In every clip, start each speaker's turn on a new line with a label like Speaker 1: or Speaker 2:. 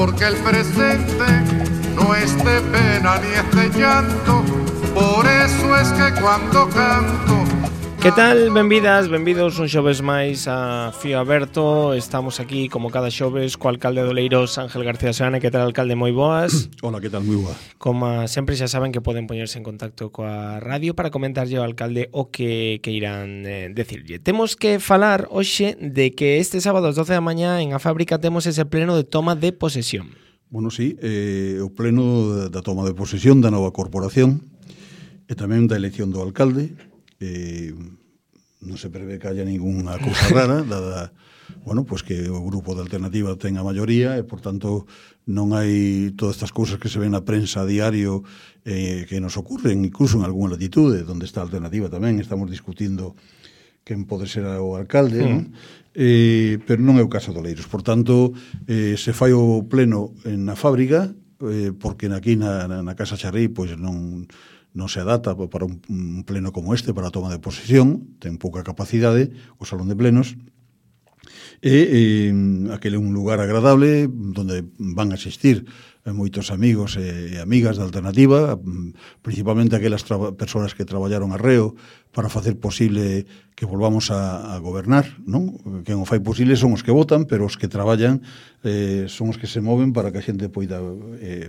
Speaker 1: porque el presente no es de pena ni es de llanto, por eso es que cuando canto.
Speaker 2: Que tal? Benvidas, benvidos un xoves máis a Fío Aberto. Estamos aquí como cada xoves co alcalde de Oleiros, Ángel García Seane. Que tal, alcalde? Moi boas.
Speaker 3: Hola, que tal? Moi boa.
Speaker 2: Como sempre xa saben que poden poñerse en contacto coa radio para comentarlle ao alcalde o que irán decirlle. Temos que falar hoxe de que este sábado ás 12 da mañá en a fábrica temos ese pleno de toma de posesión.
Speaker 3: Bueno, sí, o pleno da toma de posesión da nova corporación e tamén da elección do alcalde. Non se prevé que haya ninguna cousa rara, dada, bueno, pues que o grupo de alternativa ten a maioría e, por tanto, non hai todas estas cousas que se ven na prensa a diario que nos ocurren, incluso en algunha latitude, donde está a alternativa tamén, estamos discutindo quen pode ser o alcalde, non? Pero non é o caso de Oleiros. Por tanto, se fai o pleno na fábrica, porque aquí na Casa Charrí, pois non se adapta para un pleno como este, para a toma de posesión, ten pouca capacidade, o salón de plenos, e aquele é un lugar agradable onde van a asistir moitos amigos e amigas da alternativa, principalmente aquelas persoas que traballaron arreo para facer posible que volvamos a gobernar, non? Quen o fai posible son os que votan, pero os que traballan son os que se moven para que a xente poida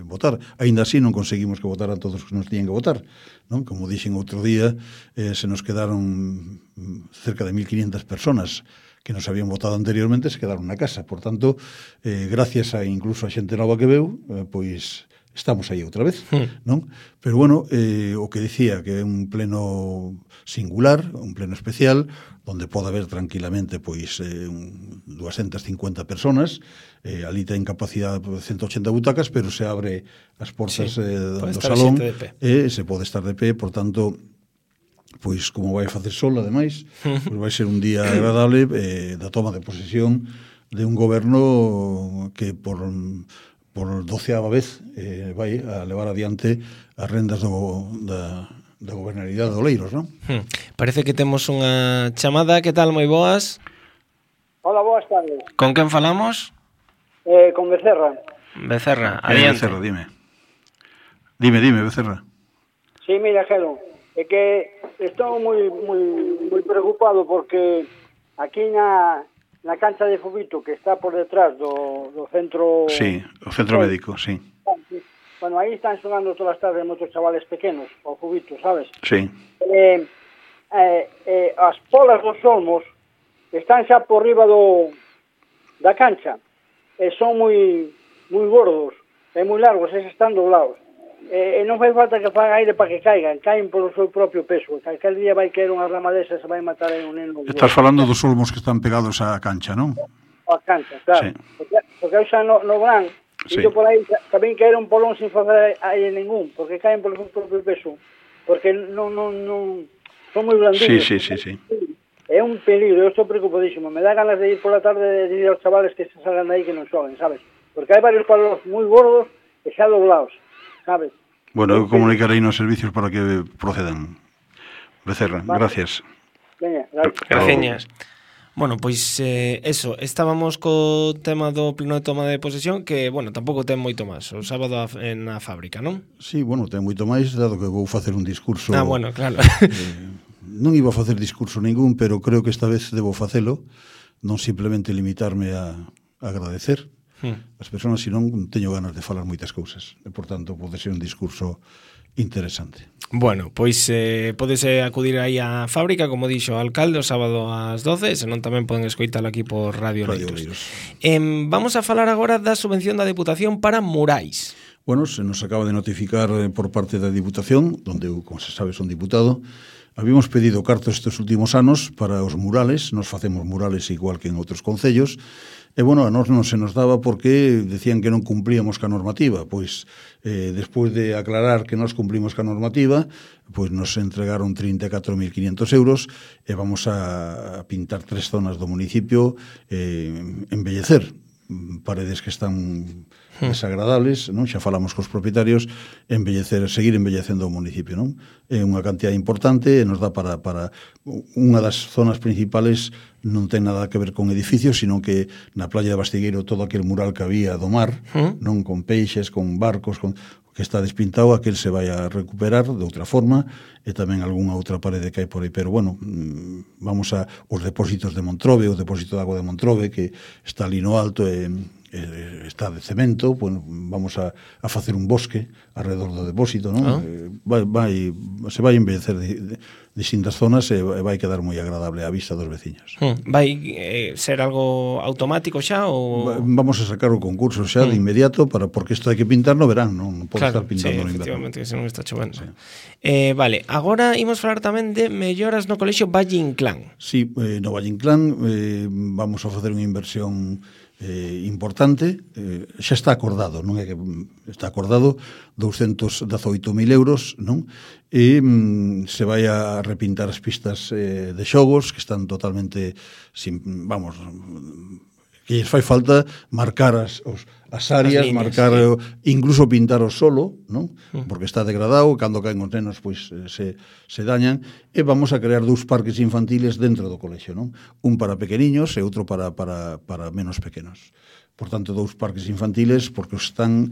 Speaker 3: votar. Aínda así non conseguimos que votaran todos os que nos tiñen que votar, non? Como dixen outro día, se nos quedaron cerca de 1.500 personas que nos habían votado anteriormente, se quedaron na casa. Por tanto, gracias a incluso a xente nova que veu, pois estamos aí outra vez, non? Pero bueno, o que dicía que é un pleno singular, un pleno especial, onde pode haber tranquilamente pois 250 personas, ali ten capacidade de 180 butacas, pero se abre as portas do salón e se pode estar de pé, por tanto, pois como vai facer sol, ademais, pois vai ser un día agradable da toma de posesión de un goberno que por 12ª vez vai a levar adiante as rendas da gobernabilidade de Oleiros, non?
Speaker 2: Parece que temos unha chamada. Que tal? Moi boas.
Speaker 4: Hola, boas tardes.
Speaker 2: Con quen falamos?
Speaker 4: Con Becerra.
Speaker 2: Becerra, adiante.
Speaker 3: Becerra, dime, Becerra.
Speaker 4: Sí, mira, Gelo, é que estou moi preocupado porque aquí na cancha de fubito que está por detrás do centro...
Speaker 3: Sí, o centro médico, sí.
Speaker 4: Bueno, aí están sonando todas as tardes moitos chavales pequenos, ao fubito, sabes?
Speaker 3: Sí.
Speaker 4: As polas dos olmos están xa por riba da cancha e son moi gordos e moi largos, e están doblados. E non fai falta que faga aire para que caen polo seu propio peso. Aquel día vai caer unha rama desa e se vai matar aí un neno.
Speaker 3: Estás falando dos olmos que están pegados á cancha, non?
Speaker 4: A cancha, claro. Sí. Porque eu xa no gran,
Speaker 3: sí.
Speaker 4: E por aí tamén caer un polón sin facer aire ningún, porque caen polo seu propio peso. Porque non son moi blandinos.
Speaker 3: Sí.
Speaker 4: É un peligro, eu estou preocupadísimo. Me dá ganas de ir por la tarde de ir aos chavales que se salgan de aí que non xoven, sabes? Porque hai varios palos moi gordos e xa doblados, sabes?
Speaker 3: Bueno, eu comunicarei nos servicios para que procedan. Becerra, vale. Gracias.
Speaker 4: Veña,
Speaker 2: gracias. Bueno, pois eso, estábamos co tema do pleno de toma de posesión que, bueno, tampouco ten moito máis. O sábado na fábrica, non?
Speaker 3: Sí, bueno, ten moito máis, dado que vou facer un discurso...
Speaker 2: Bueno, claro.
Speaker 3: Non iba a facer discurso ningún, pero creo que esta vez debo facelo, non simplemente limitarme a agradecer as persoas, senón teño ganas de falar moitas cousas. E, por tanto, pode ser un discurso interesante.
Speaker 2: Bueno, pois podese acudir aí á fábrica, como dixo o alcalde, o sábado ás 12, senón tamén poden escoitalo aquí por Radio Oleiros. Vamos a falar agora da subvención da Deputación para murais.
Speaker 3: Bueno, se nos acaba de notificar por parte da Diputación, onde eu, como se sabe, son diputado. Habíamos pedido cartos estes últimos anos para os murales, nos facemos murales igual que en outros concellos, e, bueno, a nós non se nos daba porque decían que non cumplíamos ca normativa. Pois, despois de aclarar que nós cumplimos ca normativa, pois nos entregaron 34.500 euros e vamos a pintar 3 zonas do municipio, embellecer. paredes que están desagradables, non? Xa falamos cos propietarios, seguir embellecendo o municipio, non? É unha cantidad importante e nos dá para unha das zonas principales non ten nada que ver con edificios, sino que na playa de Bastigueiro todo aquel mural que había do mar, non, con peixes, con barcos, que está despintado, aquel se vai a recuperar de outra forma, e tamén algunha outra parede que hai por aí, pero bueno, vamos a os depósitos de Montrobe, o depósito de agua de Montrobe, que está ali no alto e está de cemento, bueno, vamos a facer un bosque alrededor do depósito, non? Se vai embellecer distintas zonas e vai quedar moi agradable á vista dos veciños.
Speaker 2: Vai ser algo automático xa ou
Speaker 3: vamos a sacar o concurso xa de inmediato porque isto hai que pintar no verán, non pode estar pintando no inverno.
Speaker 2: Efectivamente, que se non está chovendo. Sí. Vale, agora imos falar tamén de melloras no colexio Valle Inclán.
Speaker 3: Sí, no Valle Inclán vamos a facer unha inversión importante, xa está acordado, non é que está acordado 218.000 euros, non? E se vai a repintar as pistas de xogos que están totalmente que lles fai falta marcar as áreas, líneas, marcar, incluso pintar o solo, non? Porque está degradado, cando caen os nenos pois se dañan, e vamos a crear 2 parques infantiles dentro do colexio, non? Un para pequeniños e outro para menos pequenos. Por tanto, 2 parques infantiles porque están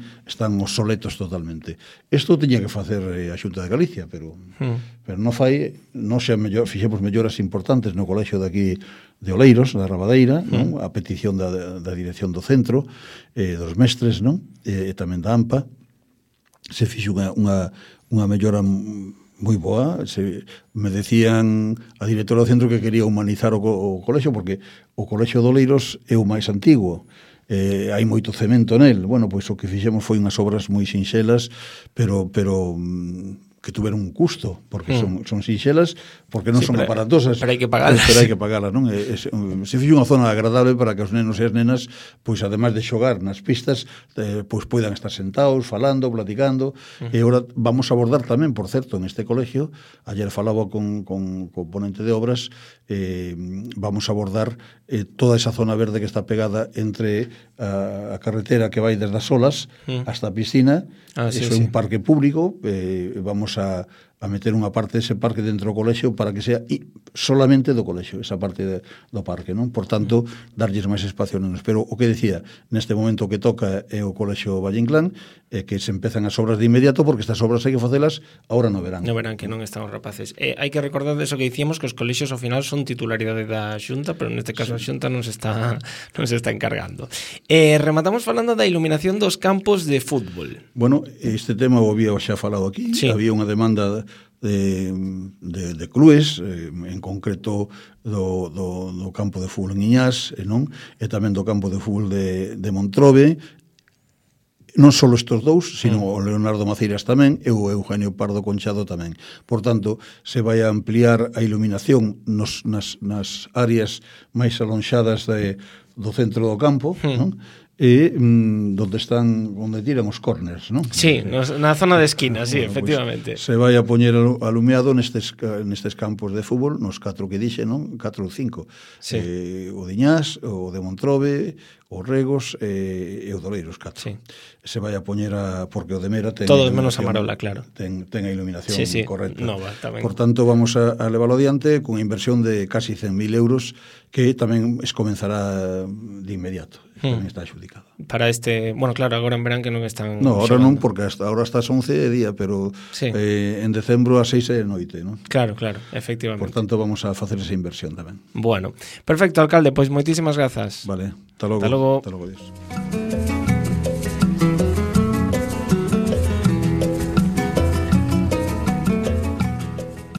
Speaker 3: obsoletos totalmente. Isto tiña que facer a Xunta de Galicia, pero non fai, fixemos melloras importantes no colexio de aquí de Oleiros, da Rabadeira, non? A petición da dirección do centro, dos mestres, non? E tamén da AMPA. Se fixo unha mellora moi boa. Me decían a directora do centro que quería humanizar o colexio, porque o colexio de Oleiros é o máis antigo. Hai moito cemento nel. Bueno, pois o que fixemos foi unhas obras moi sinxelas, pero que tuveron un custo, porque son sinxelas, porque non son aparatosas.
Speaker 2: Pero hai que pagalas.
Speaker 3: Pero hai que pagalas, non? Se fixo unha zona agradable para que os nenos e as nenas, pois ademais de xogar nas pistas, pois poidan estar sentados, falando, platicando, e agora vamos a abordar tamén, por certo, en este colegio, ayer falaba con ponente de obras, vamos a abordar toda esa zona verde que está pegada entre a carretera que vai desde as Olas hasta a piscina. Eso é un parque público, vamos a meter unha parte dese parque dentro do colexio para que sea solamente do colexio, esa parte do parque, non? Por tanto, darlles máis espacio nenos. Pero o que decía, neste momento que toca é o colexio Valle Inclán, que se empezan as obras de inmediato, porque estas obras hai que facelas agora no verán.
Speaker 2: No verán, que non están os rapaces. Hai que recordar de eso que dicíamos, que os colexios ao final son titularidade da Xunta, pero neste caso a Xunta non se está encargando. Rematamos falando da iluminación dos campos de fútbol.
Speaker 3: Bueno, este tema o había xa falado aquí, había unha demanda de clubes, en concreto do campo de fútbol en Iñás, non? E tamén do campo de fútbol de Montrobe, non só estes dous, sino o Leonardo Maceiras tamén e o Eugenio Pardo Conchado tamén. Por tanto, se vai a ampliar a iluminación nas áreas máis alonxadas do centro do campo, non? E onde tiran os corners, non?
Speaker 2: Sí, na zona de esquina, sí, efectivamente.
Speaker 3: Pues, se vai a poñer alumeado nestes campos de fútbol, nos 4 que dixe, non? 4 ou 5. Sí. O de Iñás, o de Montrobe, o Regos e o Doleiros, 4. Sí. Se vai a poñer porque o de Mera ten
Speaker 2: todos menos a Marola, claro.
Speaker 3: Ten a iluminación correcta.
Speaker 2: Nova, tamén.
Speaker 3: Por tanto, vamos a leválo adiante con inversión de casi 100.000 euros que tamén comenzará de inmediato. Tamén está adjudicado.
Speaker 2: Para bueno, claro, agora en verán que non están...
Speaker 3: No, agora non, porque agora está as 11 de día, pero en decembro a 6 de noite, non?
Speaker 2: Claro, efectivamente.
Speaker 3: Por tanto, vamos a facer esa inversión tamén.
Speaker 2: Bueno, perfecto, alcalde, pois moitísimas grazas.
Speaker 3: Vale, hasta logo.
Speaker 2: Hasta logo.
Speaker 3: Hasta logo, Dios.